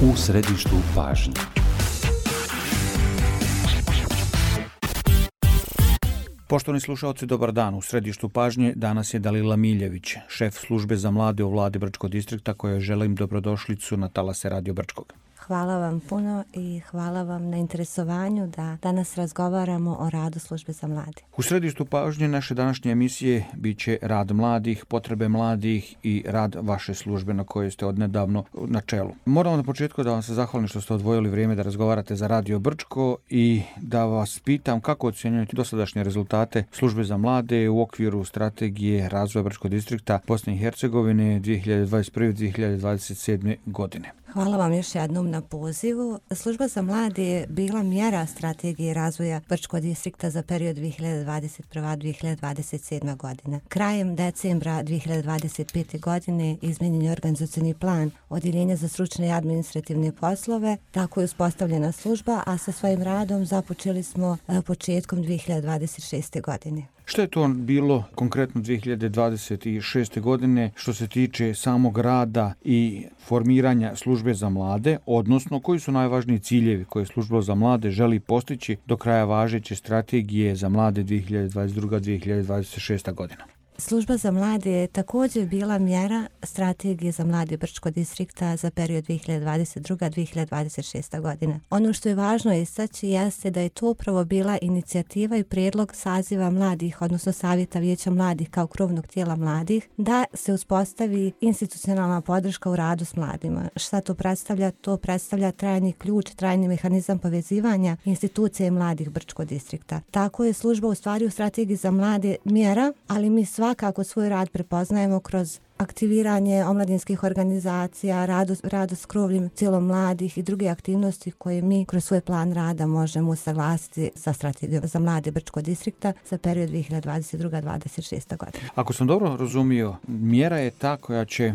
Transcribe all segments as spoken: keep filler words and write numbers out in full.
U središtu pažnje. Poštovani slušaoci, dobar dan. U središtu pažnje danas je Dalila Miljević, šef službe za mlade u vladi Brčkog distrikta, kojoj želim dobrodošlicu na talase Radio Brčkog. Hvala vam puno i hvala vam na interesovanju da danas razgovaramo o radu službe za mlade. U središtu pažnje naše današnje emisije bit će rad mladih, potrebe mladih i rad vaše službe na kojoj ste odnedavno na čelu. Moram na početku da vam se zahvalim što ste odvojili vrijeme da razgovarate za Radio Brčko i da vas pitam kako ocjenjujete dosadašnje rezultate službe za mlade u okviru strategije razvoja Brčkog distrikta Bosne i Hercegovine dvije hiljade dvadeset prve do dvije hiljade dvadeset sedme. godine. Hvala vam još jednom na pozivu. Služba za mlade je bila mjera strategije razvoja Brčkog distrikta za period dvije hiljade dvadeset prve do dvije hiljade dvadeset sedme. godine. Krajem decembra dvije hiljade dvadeset pete. godine izmijenjen je organizacioni plan Odjeljenja za stručne i administrativne poslove. Tako je uspostavljena služba, a sa svojim radom započeli smo početkom dvije hiljade dvadeset šeste. godine. Što je to bilo konkretno dvije hiljade dvadeset šeste. godine što se tiče samog rada i formiranja službe za mlade, odnosno koji su najvažniji ciljevi koje služba za mlade želi postići do kraja važeće strategije za mlade dvije hiljade dvadeset druga do dvije hiljade dvadeset šesta. godina? Služba za mlade je također bila mjera strategije za mlade Brčkog distrikta za period dvije hiljade dvadeset druga do dvije hiljade dvadeset šesta. godina. Ono što je važno istaći jeste da je to upravo bila inicijativa i prijedlog saziva mladih, odnosno Savjeta vijeća mladih kao krovnog tijela mladih, da se uspostavi institucionalna podrška u radu s mladima. Šta to predstavlja? To predstavlja trajni ključ, trajni mehanizam povezivanja institucije mladih Brčkog distrikta. Tako je služba u stvari u strategiji za mlade mjera, ali mi sva Svakako svoj rad prepoznajemo kroz aktiviranje omladinskih organizacija, radu, radu s krovnim cijelom mladih i druge aktivnosti koje mi kroz svoj plan rada možemo usaglasiti sa strategijom za mlade Brčkog distrikta za period dvije hiljade dvadeset druga do dvadeset šesta. godina. Ako sam dobro razumio, mjera je ta koja će,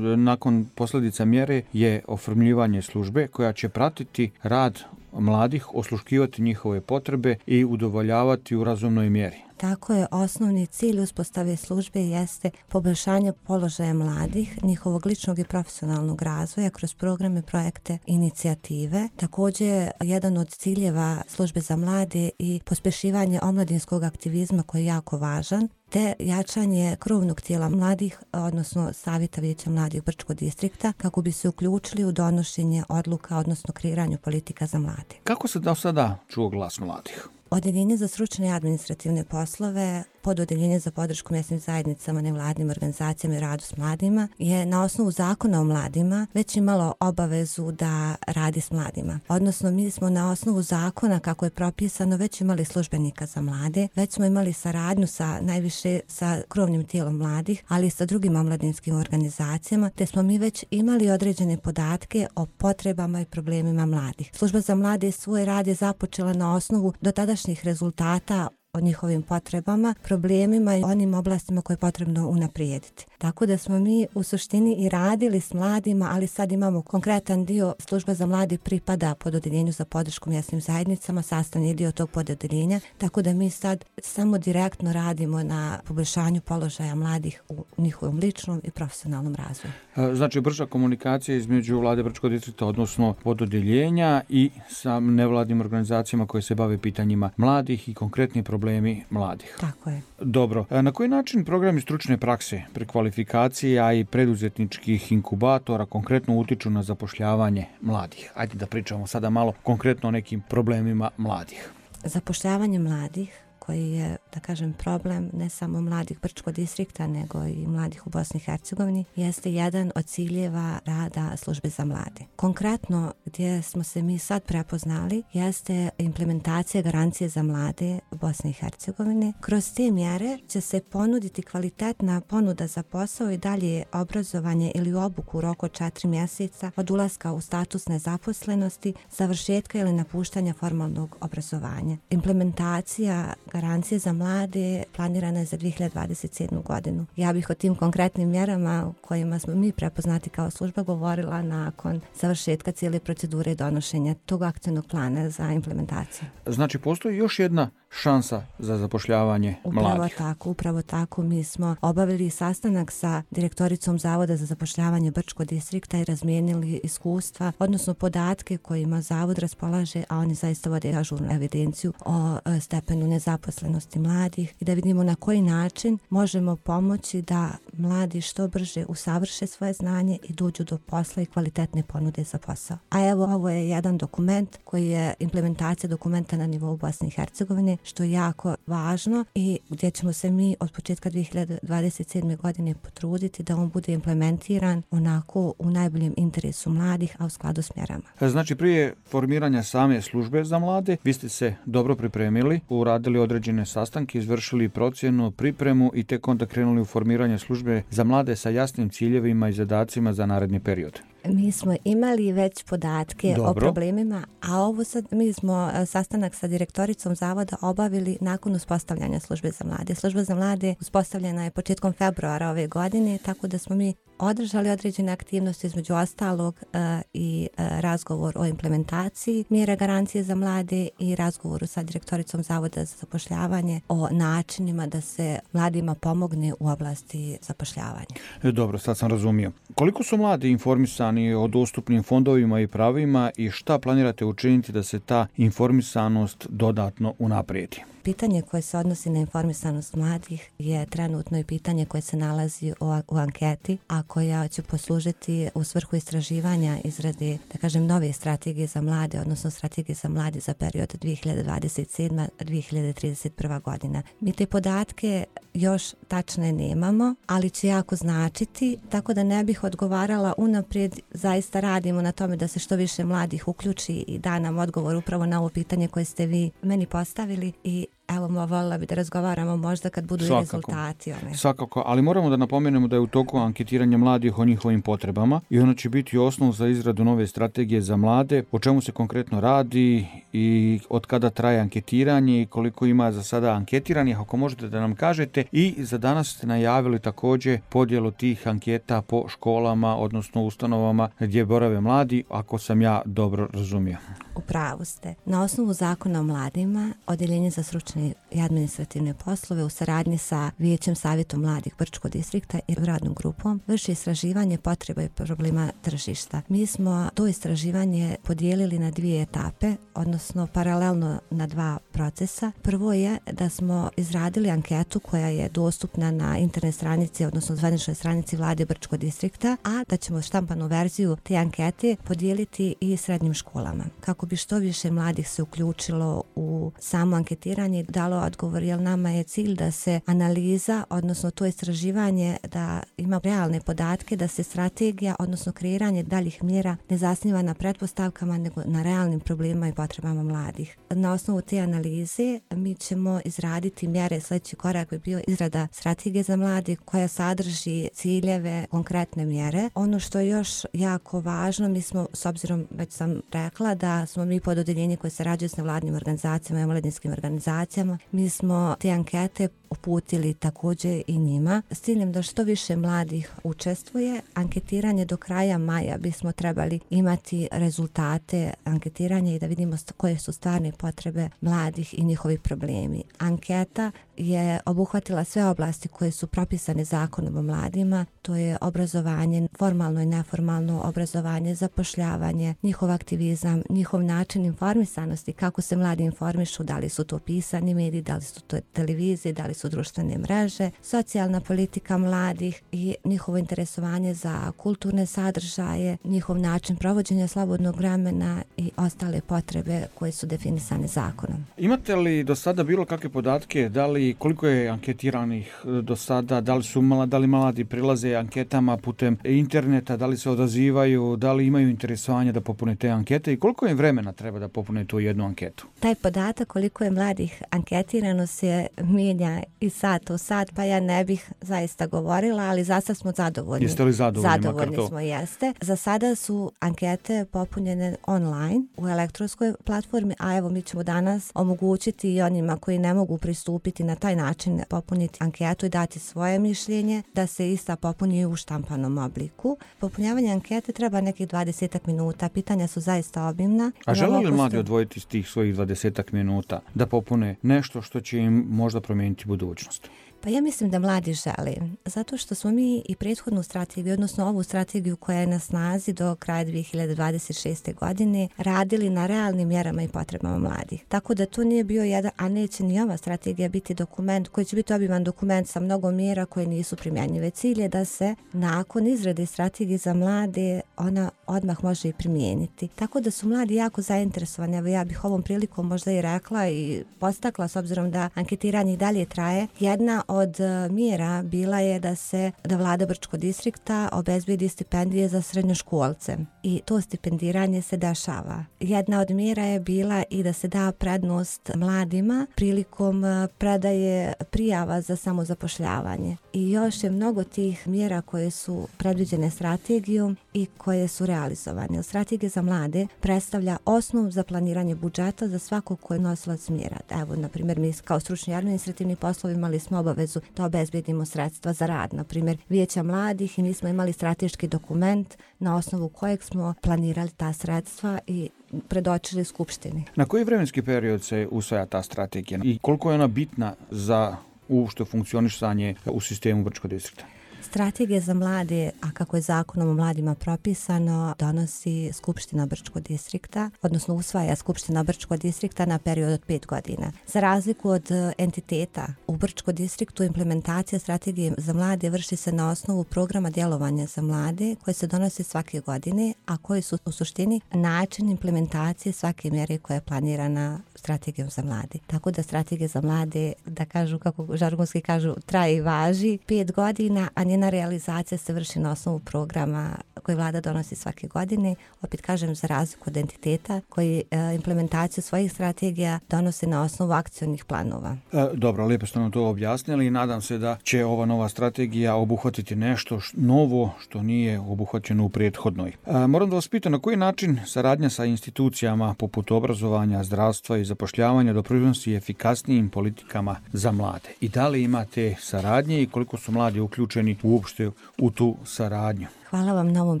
nakon posljedica mjere je oformljivanje službe koja će pratiti rad mladih, osluškivati njihove potrebe i udovoljavati u razumnoj mjeri. Tako je, osnovni cilj uspostave službe jeste poboljšanje položaja mladih, njihovog ličnog i profesionalnog razvoja kroz programe, projekte, inicijative. Također, jedan od ciljeva službe za mlade i pospješivanje omladinskog aktivizma koji je jako važan, te jačanje krovnog tijela mladih, odnosno Savjeta vijeća mladih Brčkog distrikta, kako bi se uključili u donošenje odluka, odnosno kreiranju politika za mlade. Kako se do sada čuo glas mladih? Odjeljenje za stručne i administrativne poslove, pododjeljenje za podršku mjesnim zajednicama, nevladnim organizacijama i radu s mladima je na osnovu zakona o mladima već imalo obavezu da radi s mladima. Odnosno, mi smo na osnovu zakona kako je propisano već imali službenika za mlade, već smo imali saradnju sa najviše sa krovnim tijelom mladih, ali i sa drugim omladinskim organizacijama, te smo mi već imali određene podatke o potrebama i problemima mladih. Služba za mlade svoj rad je započela na osnovu dotadašnjih rezultata o njihovim potrebama, problemima i onim oblastima koje je potrebno unaprijediti. Tako da smo mi u suštini i radili s mladima, ali sad imamo konkretan dio. Služba za mlade pripada pod odjeljenju za podršku mjesnim zajednicama, sastavni dio tog pododjeljenja, tako da mi sad samo direktno radimo na poboljšanju položaja mladih u njihovom ličnom i profesionalnom razvoju. Znači, brža komunikacija između vlade Brčkog distrikta, odnosno pododjeljenja i sa nevladnim organizacijama koje se bave pitanjima mladih i konkretni problemi mladih. Tako je. Dobro. Na koji način programi stručne prakse, prekvalifikacija i preduzetničkih inkubatora konkretno utiču na zapošljavanje mladih? Ajde da pričamo sada malo konkretno o nekim problemima mladih. Zapošljavanje mladih, koji je, da kažem, problem ne samo mladih Brčkog distrikta, nego i mladih u Bosni i Hercegovini, jeste jedan od ciljeva rada službe za mlade. Konkretno, gdje smo se mi sad prepoznali, jeste implementacija garancije za mlade u Bosni i Hercegovini. Kroz te mjere će se ponuditi kvalitetna ponuda za posao i dalje obrazovanje ili obuku u roku od četiri mjeseca od ulaska u status nezaposlenosti, završetka ili napuštanja formalnog obrazovanja. Implementacija garancije za mlade planirana je za dvije hiljade dvadeset sedmu. godinu. Ja bih o tim konkretnim mjerama kojima smo mi prepoznati kao služba govorila nakon završetka cijele procedure donošenja tog akcijnog plana za implementaciju. Znači, postoji još jedna šansa za zapošljavanje upravo mladih. Tako, upravo tako. Mi smo obavili sastanak sa direktoricom Zavoda za zapošljavanje Brčkog distrikta i razmijenili iskustva, odnosno podatke kojima Zavod raspolaže, a oni zaista vode ažurnu evidenciju o stepenu nezaposlenosti mladih i da vidimo na koji način možemo pomoći da mladi što brže usavrše svoje znanje i dođu do posla i kvalitetne ponude za posao. A evo, ovo je jedan dokument koji je implementacija dokumenta na nivou Bosne i Hercegovine, što je jako važno i gdje ćemo se mi od početka dvije hiljade dvadeset sedme. godine potruditi da on bude implementiran onako u najboljem interesu mladih, a u skladu s mjerama. Znači, prije formiranja same službe za mlade, vi ste se dobro pripremili, uradili određene sastanke, izvršili procjenu, pripremu i tek onda krenuli u formiranje službe za mlade sa jasnim ciljevima i zadacima za naredni period. Mi smo imali već podatke Dobro. o problemima, a ovo sad mi smo sastanak sa direktoricom Zavoda obavili nakon uspostavljanja službe za mlade. Služba za mlade uspostavljena je početkom februara ove godine, tako da smo mi održali određene aktivnosti, između ostalog uh, i uh, razgovor o implementaciji mjera garancije za mlade i razgovoru sa direktoricom Zavoda za zapošljavanje o načinima da se mladima pomogne u oblasti zapošljavanja. Dobro, sad sam razumio. Koliko su mladi informisani o dostupnim fondovima i pravima i šta planirate učiniti da se ta informisanost dodatno unaprijedi? Pitanje koje se odnosi na informisanost mladih je trenutno i pitanje koje se nalazi u, u anketi, a koja će poslužiti u svrhu istraživanja izrade, da kažem, nove strategije za mlade, odnosno strategije za mlade za period dvije hiljade dvadeset sedma do dvije hiljade trideset prva. godina. Mi te podatke još tačne nemamo, ali će jako značiti, tako da ne bih odgovarala unaprijed. Zaista radimo na tome da se što više mladih uključi i da nam odgovor upravo na ovo pitanje koje ste vi meni postavili i evo, voljela bi da razgovaramo možda kad budu i rezultati. One. Svakako, ali moramo da napomenemo da je u toku anketiranja mladih o njihovim potrebama i ono će biti osnov za izradu nove strategije za mlade, o čemu se konkretno radi i od kada traje anketiranje i koliko ima za sada anketiranih, ako možete da nam kažete. I za danas ste najavili također podjelu tih anketa po školama, odnosno ustanovama gdje borave mladi, ako sam ja dobro razumio. U pravu ste. Na osnovu zakona o mladima, Odeljenje za stručne i administrativne poslove u saradnji sa Vijećem savjetom mladih Brčkog distrikta i radnom grupom vrši istraživanje potreba i problema tržišta. Mi smo to istraživanje podijelili na dvije etape, odnosno paralelno na dva procesa. Prvo je da smo izradili anketu koja je dostupna na internet stranici, odnosno zvaničnoj stranici Vlade Brčkog distrikta, a da ćemo štampanu verziju te ankete podijeliti i srednjim školama. Kako bi što više mladih se uključilo u samo anketiranje i dalo odgovor, jer nama je cilj da se analiza, odnosno to istraživanje, da ima realne podatke, da se strategija, odnosno kreiranje daljih mjera ne zasniva na pretpostavkama, nego na realnim problemima i potrebama mladih. Na osnovu te analize mi ćemo izraditi mjere. Sljedeći korak bi bio izrada strategije za mlade koja sadrži ciljeve, konkretne mjere. Ono što je još jako važno, mi smo, s obzirom, već sam rekla, da smo mi pod odeljenje koje sarađuje s nevladnim organizacijama i omladinskim organizacijama, mi smo te ankete uputili također i njima s ciljem da što više mladih učestvuje. Anketiranje do kraja maja bismo trebali imati rezultate anketiranja i da vidimo koje su stvarne potrebe mladih i njihovi problemi. Anketa je obuhvatila sve oblasti koje su propisane zakonom o mladima, to je obrazovanje, formalno i neformalno obrazovanje, zapošljavanje, njihov aktivizam, njihov način informisanosti, kako se mladi informišu, da li su to pisani mediji, da li su to televizije, da li su društvene mreže, socijalna politika mladih i njihovo interesovanje za kulturne sadržaje, njihov način provođenja slobodnog vremena i ostale potrebe koje su definisane zakonom. Imate li do sada bilo kakve podatke, da li koliko je anketiranih do sada, da li su mladi, da li mladi prilaze anketama putem interneta, da li se odazivaju, da li imaju interesovanje da popune te ankete i koliko je vremena treba da popune tu jednu anketu? Taj podatak koliko je mladih anketirano se mijenja i sat u sat, pa ja ne bih zaista govorila, ali za sad smo zadovoljni. Jeste li zadovoljni? Zadovoljni smo, jeste. Za sada su ankete popunjene online u elektronskoj platformi, a evo mi ćemo danas omogućiti i onima koji ne mogu pristupiti na taj način popuniti anketu i dati svoje mišljenje, da se ista popuni u štampanom obliku. Popunjavanje ankete treba nekih dvadeset minuta, pitanja su zaista obimna. A žele li mladi odvojiti iz tih svojih dvadeset minuta da popune nešto što će im možda promijeniti budućnost? Pa ja mislim da mladi žele, zato što smo mi i prethodnu strategiju, odnosno ovu strategiju koja je na snazi do kraja dvije hiljade dvadeset šeste. godine, radili na realnim mjerama i potrebama mladih. Tako da to nije bio jedan, a neće ni ova strategija biti dokument koji će biti obiman dokument sa mnogo mjera koje nisu primjenjive. Cilj je da se nakon izrade strategije za mlade ona odmah može i primijeniti. Tako da su mladi jako zainteresovani. Evo ja bih ovom prilikom možda i rekla i postakla, s obzirom da anketiranje i dalje traje. Jedna od mjera bila je da se da vlada Brčkog distrikta obezbedi stipendije za srednjoškolce i to stipendiranje se dešava. Jedna od mjera je bila i da se da prednost mladima prilikom predaje prijava za samozapošljavanje. I još je mnogo tih mjera koje su predviđene strategijom i koje su realizovane. Strategija za mlade predstavlja osnov za planiranje budžeta za svakog ko je nosilac mjera. Evo, na primjer, mi kao stručni administrativni poslovi imali smo obavezu da obezbedimo sredstva za rad, na primjer Vijeća mladih, i mi smo imali strateški dokument na osnovu kojeg smo planirali ta sredstva i predočili Skupštini. Na koji vremenski period se usvaja ta strategija i koliko je ona bitna za uopšte funkcionisanje u sistemu Brčkog distrikta? Strategija za mlade, a kako je zakonom o mladima propisano, donosi Skupština Brčkog distrikta, odnosno usvaja Skupština Brčkog distrikta na period od pet godina. Za razliku od entiteta u Brčkom distriktu, implementacija strategije za mlade vrši se na osnovu programa djelovanja za mlade koje se donosi svake godine, a koji su u suštini način implementacije svake mjere koja je planirana strategijom za mlade. Tako da strategija za mlade, da kažu, kako žargonski kažu, traje i važi pet godina, a njena realizacija se vrši na osnovu programa koji vlada donosi svake godine. Opet kažem, za razliku od entiteta koji e, implementaciju svojih strategija donose na osnovu akcionih planova. E, dobro, lijepo ste nam to objasnili i nadam se da će ova nova strategija obuhvatiti nešto š, novo što nije obuhvaćeno u prethodnoj. E, moram da vas pitam na koji način saradnja sa institucijama poput obrazovanja, zdravstva i zapošljavanja doprinosi efikasnijim politikama za mlade. I da li imate saradnje i koliko su mladi uključeni uopšte u tu saradnju? Hvala vam na ovom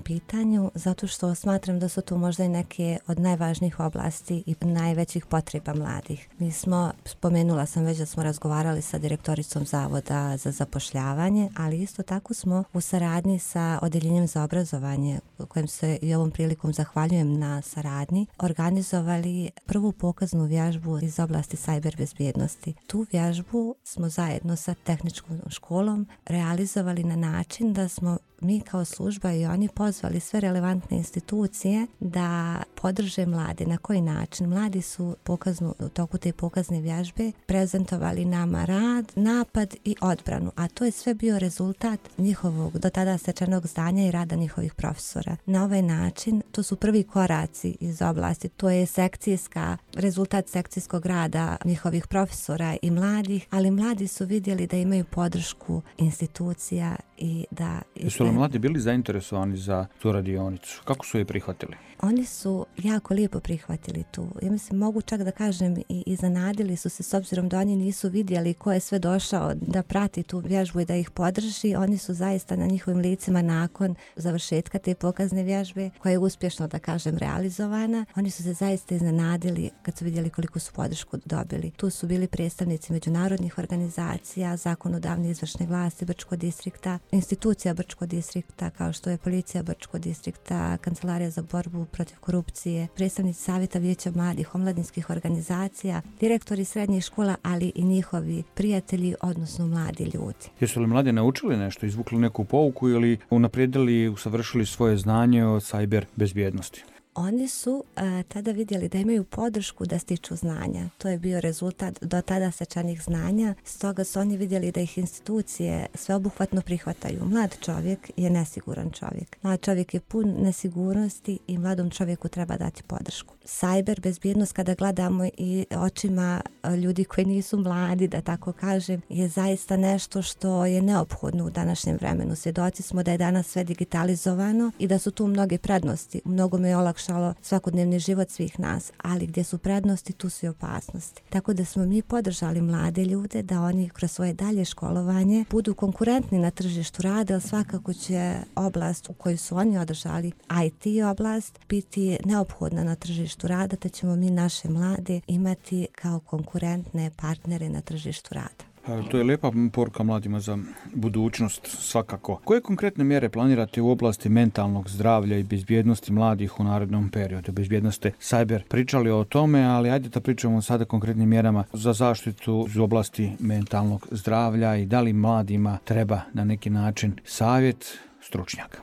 pitanju, zato što smatram da su tu možda i neke od najvažnijih oblasti i najvećih potreba mladih. Mi smo, spomenula sam već da smo razgovarali sa direktoricom Zavoda za zapošljavanje, ali isto tako smo u saradnji sa Odeljenjem za obrazovanje, kojem se i ovom prilikom zahvaljujem na saradnji, organizovali prvu pokaznu vježbu iz oblasti sajber bezbjednosti. Tu vježbu smo zajedno sa tehničkom školom realizovali na način da smo mi kao služba i oni pozvali sve relevantne institucije da podrže mlade. Na koji način? Mladi su pokaznu, u toku te pokazne vježbe prezentovali nama rad, napad i odbranu, a to je sve bio rezultat njihovog do tada stečenog znanja i rada njihovih profesora. Na ovaj način, to su prvi koraci iz oblasti, to je sekcijska, rezultat sekcijskog rada njihovih profesora i mladih, ali mladi su vidjeli da imaju podršku institucija i da... Jesu li mladi bili zainteresovani za tu radionicu? Kako su je prihvatili? Oni su jako lijepo prihvatili tu. Ja mislim, mogu čak da kažem i iznenadili su se, s obzirom da oni nisu vidjeli ko je sve došao da prati tu vježbu i da ih podrži. Oni su zaista na njihovim licima nakon završetka te pokazne vježbe, koja je uspješno, da kažem, realizovana. Oni su se zaista iznenadili kad su vidjeli koliko su podršku dobili. Tu su bili predstavnici međunarodnih organizacija, zakonodavne izvršne vlasti Brčkog distrikta, institucija Brčkog distrikta kao što je Policija Brčkog distrikta, Kancelarija za borbu protiv korupcije, predstavnici Savjeta Vijeća mladih, omladinskih organizacija, direktori srednjih škola, ali i njihovi prijatelji, odnosno mladi ljudi. Jesu li mladi naučili nešto, izvukli neku pouku ili unaprijedili i usavršili svoje znanje o sajber bezbjednosti? Oni su a, tada vidjeli da imaju podršku da stiču znanja. To je bio rezultat do tada stečenih znanja. Stoga su oni vidjeli da ih institucije sveobuhvatno prihvataju. Mlad čovjek je nesiguran čovjek. Mlad čovjek je pun nesigurnosti i mladom čovjeku treba dati podršku. Sajber bezbjednost, kada gledamo i očima ljudi koji nisu mladi, da tako kažem, je zaista nešto što je neophodno u današnjem vremenu. Svjedoci smo da je danas sve digitalizovano i da su tu mnoge prednosti. Mnogo me je olakšano olakšalo svakodnevni život svih nas, ali gdje su prednosti, tu su i opasnosti. Tako da smo mi podržali mlade ljude da oni kroz svoje dalje školovanje budu konkurentni na tržištu rada, ali svakako će oblast u kojoj su oni održali I T oblast biti neophodna na tržištu rada, te ćemo mi naše mlade imati kao konkurentne partnere na tržištu rada. To je lijepa poruka mladima za budućnost svakako. Koje konkretne mjere planirate u oblasti mentalnog zdravlja i bezbjednosti mladih u narednom periodu? Bezbjednost ste cyber pričali o tome, ali ajde da pričamo sada konkretnim mjerama za zaštitu u oblasti mentalnog zdravlja i da li mladima treba na neki način savjet stručnjaka.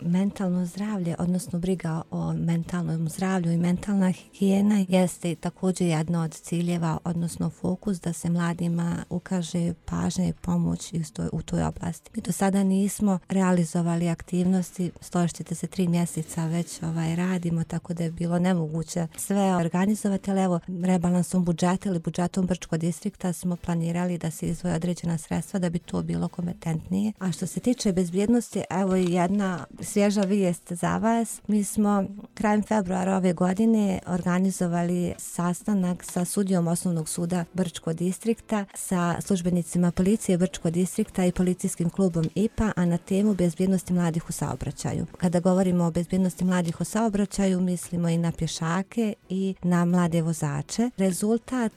Mentalno zdravlje, odnosno briga o mentalnom zdravlju i mentalna higijena jeste također jedna od ciljeva, odnosno fokus da se mladima ukaže pažnja i pomoć u toj oblasti. Mi do sada nismo realizovali aktivnosti, složite se, tri mjeseca već ovaj, radimo, tako da je bilo nemoguće sve organizovati, ali evo rebalansom budžeta ili budžetom Brčkog distrikta smo planirali da se izdvoje određena sredstva da bi to bilo kompetentnije. A što se tiče bezbjednosti, evo i jedna svježa vijest za vas. Mi smo krajem februara ove godine organizovali sastanak sa sudijom Osnovnog suda Brčkog distrikta, sa službenicima policije Brčkog distrikta i policijskim klubom I P A, a na temu bezbjednosti mladih u saobraćaju. Kada govorimo o bezbjednosti mladih u saobraćaju, mislimo i na pješake i na mlade vozače. Rezultat,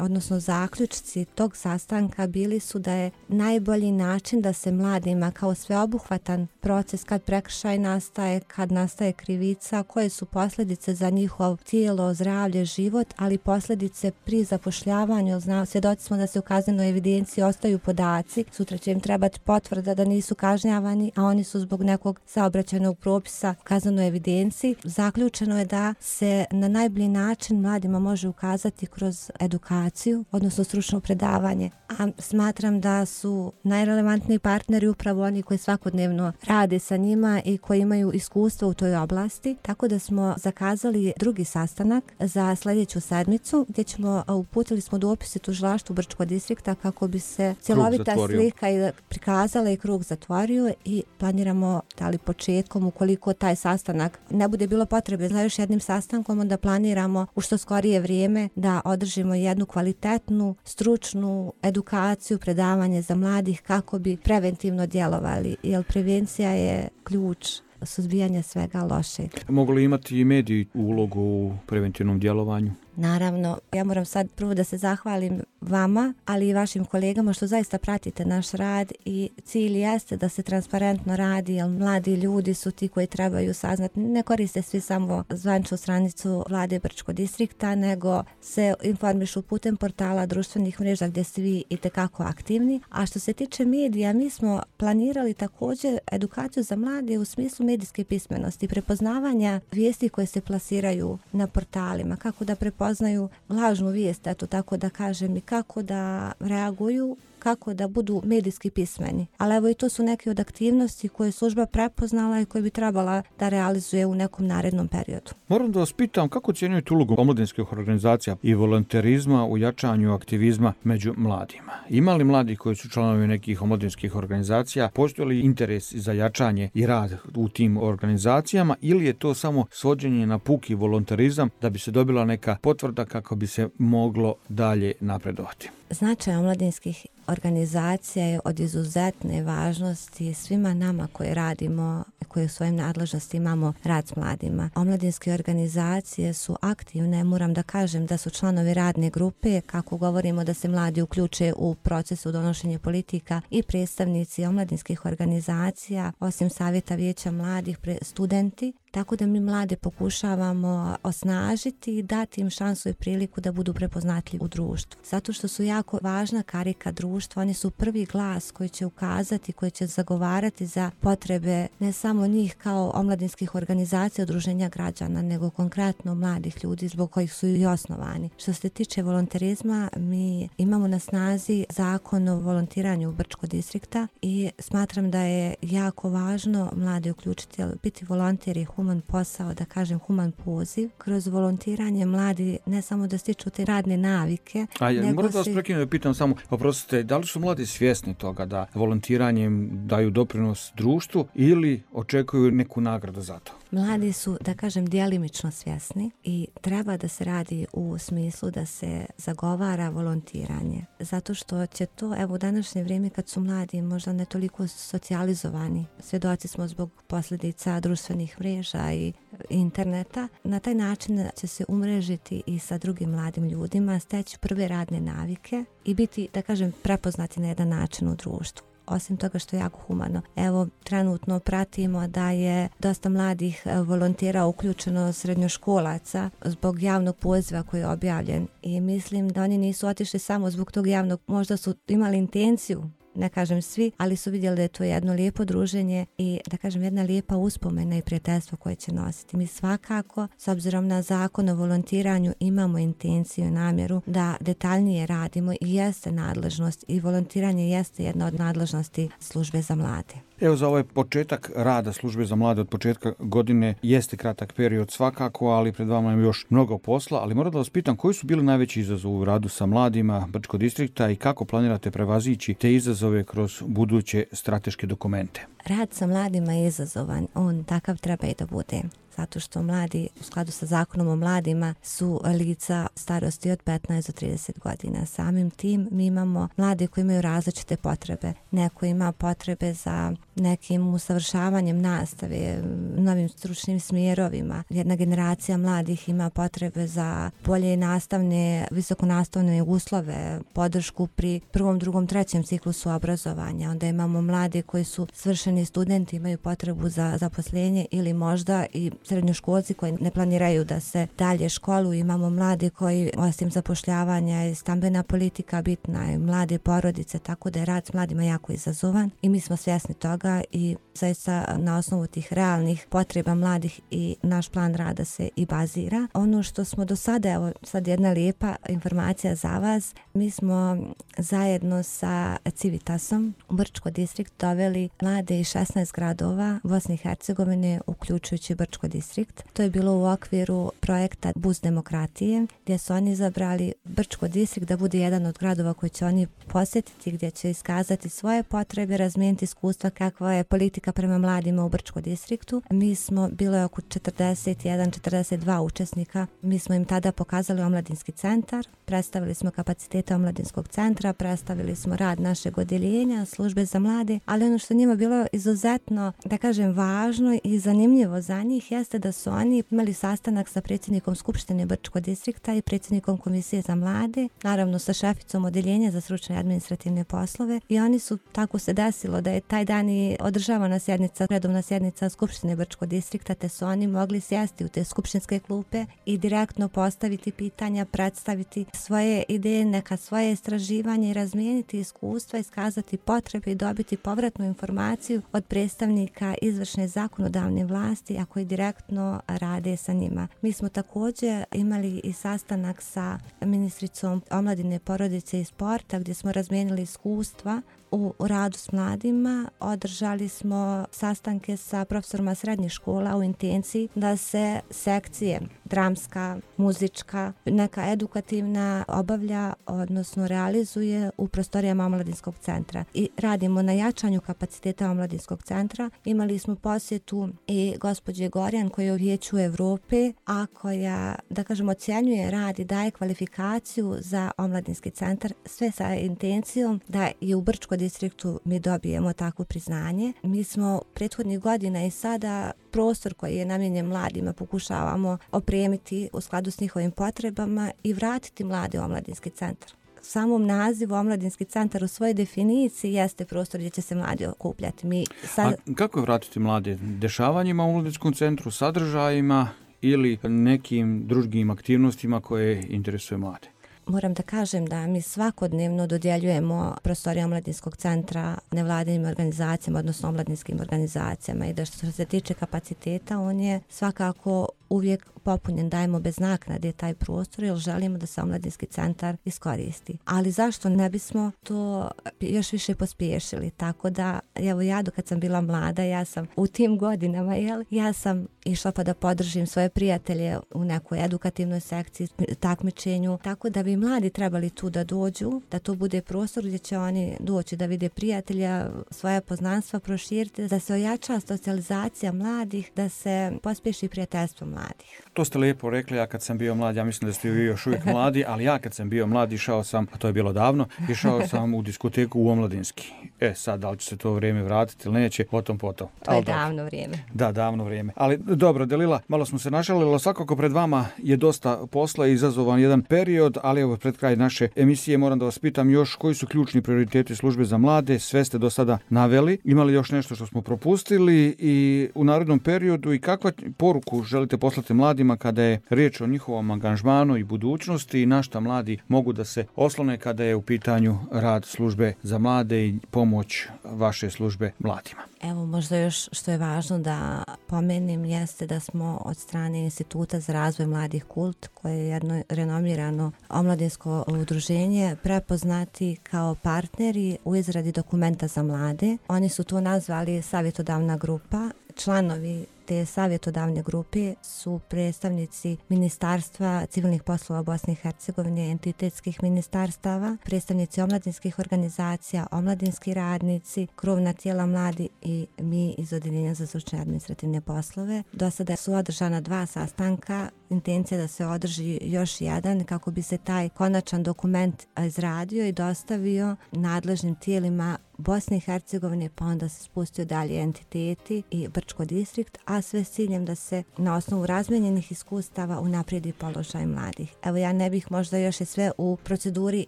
odnosno zaključci tog sastanka bili su da je najbolji način da se mladima kao sveobuhvatan proces kad prekršaj nastaje, kad nastaje krivica, koje su posljedice za njihov tijelo, zdravlje, život, ali posljedice pri zapošljavanju. Znamo, svjedoci smo da se u kaznenoj evidenciji ostaju podaci, sutra će im trebati potvrda da nisu kažnjavani, a oni su zbog nekog saobraćajnog propisa u kaznenoj evidenciji. Zaključeno je da se na najbolji način mladima može ukazati kroz edukaciju, odnosno stručno predavanje. A smatram da su najrelevantniji partneri upravo oni koji svakodnevno rade sa njima i koji imaju iskustvo u toj oblasti, tako da smo zakazali drugi sastanak za sljedeću sedmicu gdje ćemo, uputili smo dopise tužilaštvu Brčkog distrikta kako bi se cjelovita slika i prikazala i krug zatvorio i planiramo da li početkom, ukoliko taj sastanak ne bude bilo potrebe za još jednim sastankom, onda planiramo u što skorije vrijeme da održimo jednu kvalitetnu, stručnu edukaciju, predavanje za mladih kako bi preventivno djelovali, jer prevencija je ključ suzbijanja svega lošeg. Mogu li imati i mediji ulogu u preventivnom djelovanju? Naravno, ja moram sad prvo da se zahvalim vama, ali i vašim kolegama što zaista pratite naš rad i cilj jeste da se transparentno radi, jer mladi ljudi su ti koji trebaju saznati. Ne koriste svi samo zvaničnu stranicu vlade Brčkog distrikta, nego se informišu putem portala društvenih mreža gdje ste vi itekako aktivni. A što se tiče medija, mi smo planirali također edukaciju za mlade u smislu medijske pismenosti, prepoznavanja vijesti koje se plasiraju na portalima, kako da prepoznaju poznaju lažnu vijest, eto tako da kažem, i kako da reaguju, kako da budu medijski pismeni. Ali evo i to su neke od aktivnosti koje je služba prepoznala i koje bi trebala da realizuje u nekom narednom periodu. Moram da vas pitam kako ocjenjujete ulogu omladinskih organizacija i volonterizma u jačanju aktivizma među mladima? Ima li mladi koji su članovi nekih omladinskih organizacija? Postoji li interes za jačanje i rad u tim organizacijama ili je to samo svođenje na puki volonterizam da bi se dobila neka potvrda kako bi se moglo dalje napredovati? Značaj omladinskih organizacija je od izuzetne važnosti svima nama koji radimo, koji u svojim nadležnosti imamo rad s mladima. Omladinske organizacije su aktivne, moram da kažem da su članovi radne grupe, kako govorimo da se mladi uključe u procesu donošenja politika i predstavnici omladinskih organizacija, osim savjeta vijeća mladih, studenti. Tako da mi mlade pokušavamo osnažiti i dati im šansu i priliku da budu prepoznatljivi u društvu. Zato što su jako važna karika društva, oni su prvi glas koji će ukazati, koji će zagovarati za potrebe ne samo njih kao omladinskih organizacija, udruženja građana, nego konkretno mladih ljudi zbog kojih su i osnovani. Što se tiče volonterizma, mi imamo na snazi zakon o volontiranju Brčkog distrikta i smatram da je jako važno mlade uključiti, biti volonter je human posao, da kažem human poziv. Kroz volontiranje mladi ne samo da stiču te radne navike. A ja moram da vas prekinem da pitam samo, oprostite, da li su mladi svjesni toga da volontiranjem daju doprinos društvu ili očekuju neku nagradu za to? Mladi su, da kažem, djelimično svjesni i treba da se radi u smislu da se zagovara volontiranje. Zato što će to, evo u današnje vrijeme kad su mladi možda ne toliko socijalizovani, svjedoci smo zbog posljedica društvenih mreža i interneta, na taj način će se umrežiti i sa drugim mladim ljudima, steći prve radne navike i biti, da kažem, prepoznati na jedan način u društvu. Osim toga što je jako humano. Evo, trenutno pratimo da je dosta mladih volontera uključeno srednjoškolaca zbog javnog poziva koji je objavljen i mislim da oni nisu otišli samo zbog tog javnog, možda su imali intenciju, ne kažem svi, ali su vidjeli da je to jedno lijepo druženje i da kažem jedna lijepa uspomena i prijateljstvo koje će nositi. Mi svakako, s obzirom na zakon o volontiranju, imamo intenciju i namjeru da detaljnije radimo i jeste nadležnost i volontiranje jeste jedna od nadležnosti službe za mlade. Evo za ovaj početak rada službe za mlade od početka godine jeste kratak period svakako, ali pred vama je još mnogo posla, ali moram da vas pitam koji su bili najveći izazovi u radu sa mladima Brčkog distrikta i kako planirate prevazići te izazove kroz buduće strateške dokumente? Rad sa mladima je izazovan, on takav treba i da bude. Zato što mladi, u skladu sa zakonom o mladima, su lica starosti od petnaest do trideset godina. Samim tim mi imamo mlade koji imaju različite potrebe. Neko ima potrebe za nekim usavršavanjem nastave, novim stručnim smjerovima. Jedna generacija mladih ima potrebe za bolje nastavne, visokonastavne uslove, podršku pri prvom, drugom, trećem ciklusu obrazovanja. Onda imamo mlade koji su svršeni studenti, imaju potrebu za zaposlenje ili možda i srednjoškolci koji ne planiraju da se dalje školuju. Imamo mlade koji, osim zapošljavanja, je stambena politika bitna i mlade porodice, tako da je rad s mladima jako izazovan i mi smo svjesni toga i zaista na osnovu tih realnih potreba mladih i naš plan rada se i bazira. Ono što smo do sada, evo sad jedna lijepa informacija za vas, mi smo zajedno sa Civitasom u Brčko distrikt doveli mlade iz šesnaest gradova Bosne i Hercegovine, uključujući Brčko distrikt. To je bilo u okviru projekta Bus demokratije, gdje su oni izabrali Brčko distrikt da bude jedan od gradova koji će oni posjetiti, gdje će iskazati svoje potrebe, razmijeniti iskustva kakva je politika prema mladima u Brčko distriktu. Mi smo, bilo je oko četrdeset jedan četrdeset dva učesnika, mi smo im tada pokazali omladinski centar, predstavili smo kapacitete omladinskog centra, predstavili smo rad našeg odjeljenja, službe za mlade, ali ono što njima bilo izuzetno, da kažem, važno i zanimljivo za njih jeste da su oni imali sastanak sa predsjednikom Skupštine Brčkog distrikta i predsjednikom Komisije za mlade, naravno sa šeficom odjeljenja za stručne i administrativne poslove i oni su, tako se desilo da je taj dan i održavana sjednica, redovna sjednica Skupštine Brčkog distrikta, te su oni mogli sjesti u te skupštinske klupe i direktno postaviti pitanja, predstaviti svoje ideje, neka svoje istraživanje i razmijeniti iskustva, iskazati potrebe i dobiti povratnu informaciju od predstavnika izvršne zakonodavne vlasti, a koji direktno rade sa njima. Mi smo također imali i sastanak sa ministricom omladine, porodice i sporta gdje smo razmijenili iskustva u radu s mladima. Održali smo sastanke sa profesorima srednjih škola u intenciji da se sekcije dramska, muzička, neka edukativna obavlja, odnosno realizuje u prostorijama omladinskog centra. I radimo na jačanju kapaciteta omladinskog centra. Imali smo posjetu i gospođe Gorjan koja je u Vijeću Evrope, a koja, da kažemo, ocjenjuje rad i daje kvalifikaciju za omladinski centar, sve sa intencijom da i u Brčko distriktu mi dobijemo takvo priznanje. Mi smo prethodnih godina i sada prostor koji je namijenjen mladima pokušavamo opremiti u skladu s njihovim potrebama i vratiti mlade u omladinski centar. Samom nazivu omladinski centar u svojoj definiciji jeste prostor gdje će se mladi okupljati. Mi sad... A kako je vratiti mlade? Dešavanjima u omladinskom centru, sadržajima ili nekim drugim aktivnostima koje interesuje mlade? Moram da kažem da mi svakodnevno dodjeljujemo prostorije omladinskog centra nevladinim organizacijama, odnosno omladinskim organizacijama i da što se tiče kapaciteta, on je svakako uvijek popunjen, dajemo bez naknade taj prostor jer želimo da se omladinski centar iskoristi. Ali zašto ne bismo to još više pospješili? Tako da, evo ja do kad sam bila mlada, ja sam u tim godinama, jel, ja sam išla pa da podržim svoje prijatelje u nekoj edukativnoj sekciji, takmičenju, tako da bi mladi trebali tu da dođu, da to bude prostor gdje će oni doći da vide prijatelja, svoje poznanstva proširiti, da se ojača socijalizacija mladih, da se pospješi prijateljstvo mladih. To ste lijepo rekli, ja kad sam bio mlad, ja mislim da ste vi još uvijek mladi, ali ja kad sam bio mlad išao sam, a to je bilo davno, išao sam u diskoteku u Omladinski. E sad, da li će se to vrijeme vratiti ili neće, potom potom. To je davno vrijeme. Da, davno vrijeme. Ali dobro, Delila, malo smo se našalili, svakako pred vama je dosta posla i izazovan jedan period, ali evo pred kraj naše emisije moram da vas pitam još koji su ključni prioriteti službe za mlade, sve ste do sada naveli, imali još nešto što smo propustili i u narednom periodu i kakva poruku želite poslati mladima kada je riječ o njihovom angažmanu i budućnosti i na šta mladi mogu da se oslone kada je u pitanju rad službe za mlade i pomoć vaše službe mladima? Evo možda još što je važno da pomenem jeste da smo od strane Instituta za razvoj mladih Kult, koje je jedno renomirano omladinsko udruženje, prepoznati kao partneri u izradi dokumenta za mlade. Oni su to nazvali savjetodavna grupa. Članovi te savjetodavne grupe su predstavnici Ministarstva civilnih poslova Bosne i Hercegovine, entitetskih ministarstava, predstavnici omladinskih organizacija, omladinski radnici, krovna tijela mladi i mi iz Odeljenja za stručne administrativne poslove. Do sada su održana dva sastanka, intencija da se održi još jedan kako bi se taj konačan dokument izradio i dostavio nadležnim tijelima Bosne i Hercegovine, pa onda se spustio dalje entiteti i Brčko distrikt, a sve s ciljem da se na osnovu razmijenjenih iskustava unaprijedi položaj mladih. Evo ja ne bih možda još i sve u proceduri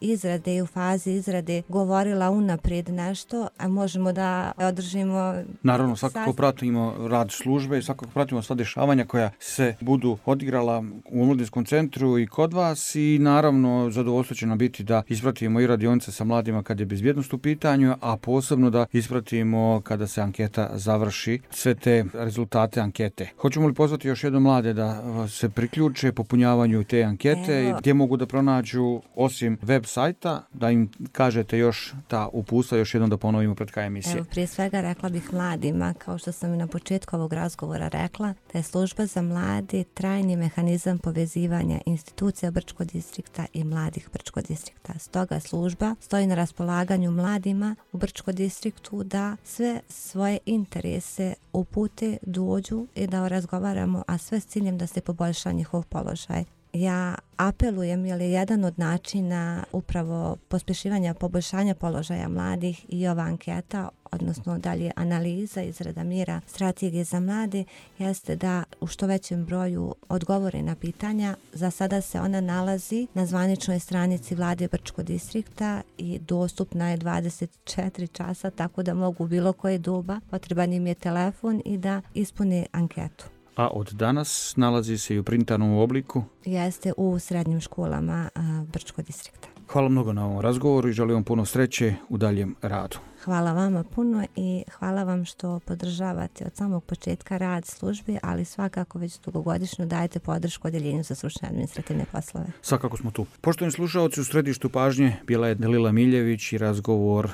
izrade i u fazi izrade govorila unaprijed nešto, a možemo da održimo... Naravno, svakako pratimo rad službe i svakako pratimo sva dešavanja koja se budu odigrala u Omladinskom centru i kod vas i naravno zadovoljstvo će nam biti da ispratimo i radionice sa mladima kad je bezbjednost u pitanju, a posebno da ispratimo kada se anketa završi, sve te rezultate ankete. Hoćemo li pozvati još jednom mlade da se priključe popunjavanju te ankete Evo. i gdje mogu da pronađu osim web sajta, da im kažete još ta uputstva, još jednom da ponovimo pred kraj emisije. Evo, prije svega rekla bih mladima, kao što sam i na početku ovog razgovora rekla, da je služba za mlade trajni mehanizam povezivanja institucija Brčko distrikta i mladih Brčko distrikta. Stoga služba stoji na raspolaganju mladima u Brčko distriktu da sve svoje interese upute, dođu i da razgovaramo, a sve s ciljem da se poboljša njihov položaj. Ja apelujem, jer je jedan od načina upravo pospješivanja poboljšanja položaja mladih i ova anketa, odnosno dalje analiza, izrada mjera, strategije za mlade, jeste da u što većem broju odgovore na pitanja. Za sada se ona nalazi na zvaničnoj stranici Vlade Brčko distrikta i dostupna je dvadeset četiri časa, tako da mogu bilo koje doba, potreban im je telefon i da ispune anketu. A od danas nalazi se i u printanom obliku? Jeste u srednjim školama a, Brčko distrikta. Hvala mnogo na ovom razgovoru i želim vam puno sreće u daljem radu. Hvala vama puno i hvala vam što podržavate od samog početka rad službi, ali svakako već dugogodišnju dajete podršku Odeljenju za stručne administrativne poslove. Svakako smo tu. Poštovani slušalci, u središtu pažnje bila je Delila Miljević i razgovor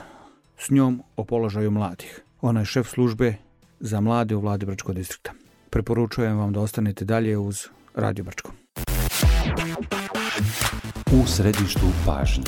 s njom o položaju mladih. Ona je šef službe za mlade u Vladi Brčko distrikta. Preporučujem vam da ostanete dalje uz Radio Brčko. U središtu pažnje.